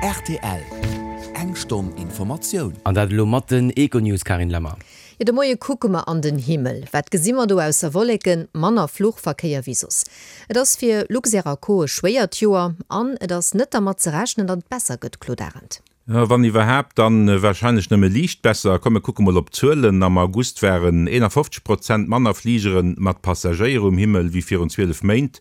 Rtl, Eng Stonn Informatioun. An dat elo mat den Econews, Carine Lemmer. Jo, de Moie kucke mer an den Himmel. Wat gesi mer do ausser Wolleken? Manner Fluchverkéier wéi soss. Et ass fir Luxair a Co e schwéiert Joer an et ass net dermat ze rechnen, datt et besser gëtt, Claude Arend. Wann iwwerhaapt, dann warscheinlech nëmme liicht besser. Komm mir kucke mol op d'Zuelen. Am August waren 51 Prozent manner Fligere mat Passagéier um Himmel wéi virun 12 Méint.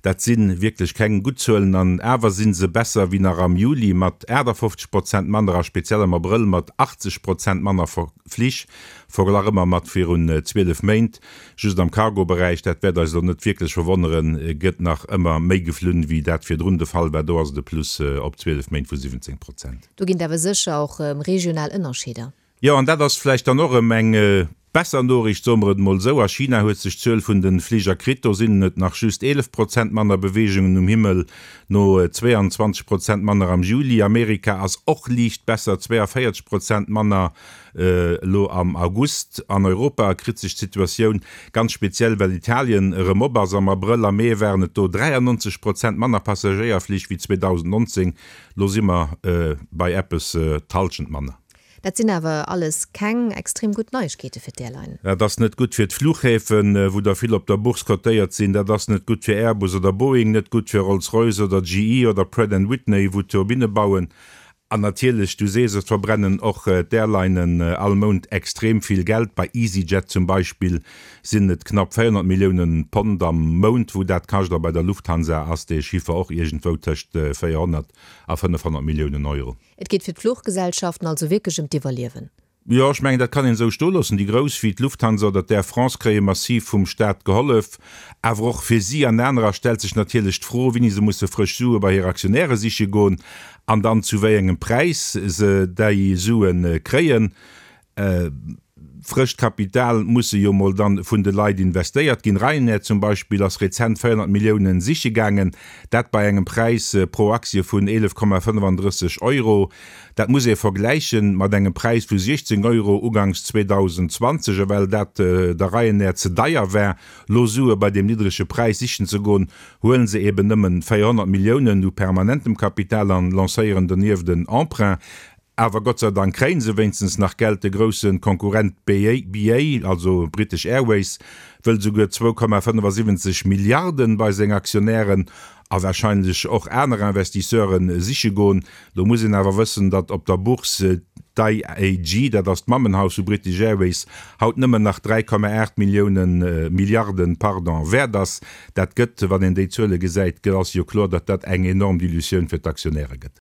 Dat si wierklech keng gutt Zuelen an awer si se besser wéi nach am Juli mat 58 Prozent manner a speziell am Abrëll mat 80 Prozent manner Flich, verglach ëmmer mat virun 12 Méint. Just am Cargo-Beräich, dat wäert eis elo net wierklech verwonneren, gëtt nach ëmmer méi geflunn, wéi dat virdrun de Fall war. Do ass et e Plus op 12 Méint vu 17 Prozent. Do ginn et awer sécher och regional Ënnerscheeder. Jo, an dat ass vläicht dann och erëm eng besser Noriicht, soe mer et emol esou. A China huet sech d'Zuel vun de Fliger kritt. Do sinn et nach just 11 Prozent manner Beweegungen um Himmel, no 22 Prozent manner am Juli. Amerika ass och liicht besser, 42 Prozent manner Elo am August an Europa kritt sech d'Situatioun ganz speziell, well Italien erëm op ass. Am Abrëll a Mee waren et do 93 Prozent manner Passagéierflich wéi 2019, lo si mer bei eppes d'Hallschent manner. Dat sinn awer alles keng extrem gutt Neiegkeete fir d'Airline. Dat ass net gutt fir d'Fluchhäfen, wou der vill op der Bourse cotéiert sinn. Dat ass net gutt fir Airbus oder Boeing, net gutt fir Rolls-Royce oder GE oder Pratt and Whitney, wou Turbinne bauen. An natierlech, du sees et, verbrennen och d'Airlinen all Mount extrem vill Geld. Bei EasyJet zum Beispill sinn et knapp 400 Milliounen Pond am Mount, wou dat kascht, a bei der Lufthansa ass dee Chiffer och iergendwou tëscht 400 a 500 Milliounen Euro. Et geet fir d'Fluchgesellschaften also wierklech ëm d'Iwwerliewen. Jo, ech mengen, dat kann een esou stoe loossen. Déi Grouss wéi d'Lufthansa oder d'Air France kréie massiv vum Staat gehollef. Awer och fir si an anerer stellt sech natierlech d'Fro, wéini se musse frësch Sue bei hir Aktionäre siche goen an dann zu wéi engem Präis se déi Sue kréien. Frëscht Kapital musse jo mol dann vun de Leit investéiert ginn. Ryanair zum Beispill ass rezent 400 Milliounen siche gaangen, dat bei engem Präis pro Aktie vun 11,35 Euro. Dat muss ee vergläiche mat engem Präis vu 16 Euro uganks 2020. A well dat der Ryanair ze deier war, lo Sue bei deem niddrege Präis sichen ze goen, huelen se eben nëmmen 400 Milliounen u permanentem Kapital an lancéieren donieft en Emprunt. Awer Gott sei Dank kréien se wéinstens nach Geld. De grousse Konkurrent BA, also British Airways, wëll souguer 2,75 Milliarden bei seng Aktionären a warscheinlech och aner Investisseuren siche goen. Do muss een awer wëssen, datt op der Bourse d'IAG, dat ass d'Mammenhaus vu British Airways, haut nëmmen nach 3,8 Milliounen, Milliarden, pardon, wäert ass. Dat gëtt, wann een déi Zuele gesäit, ass jo kloer, datt dat eng enorm Dilutioun fir d'Aktionäre gëtt.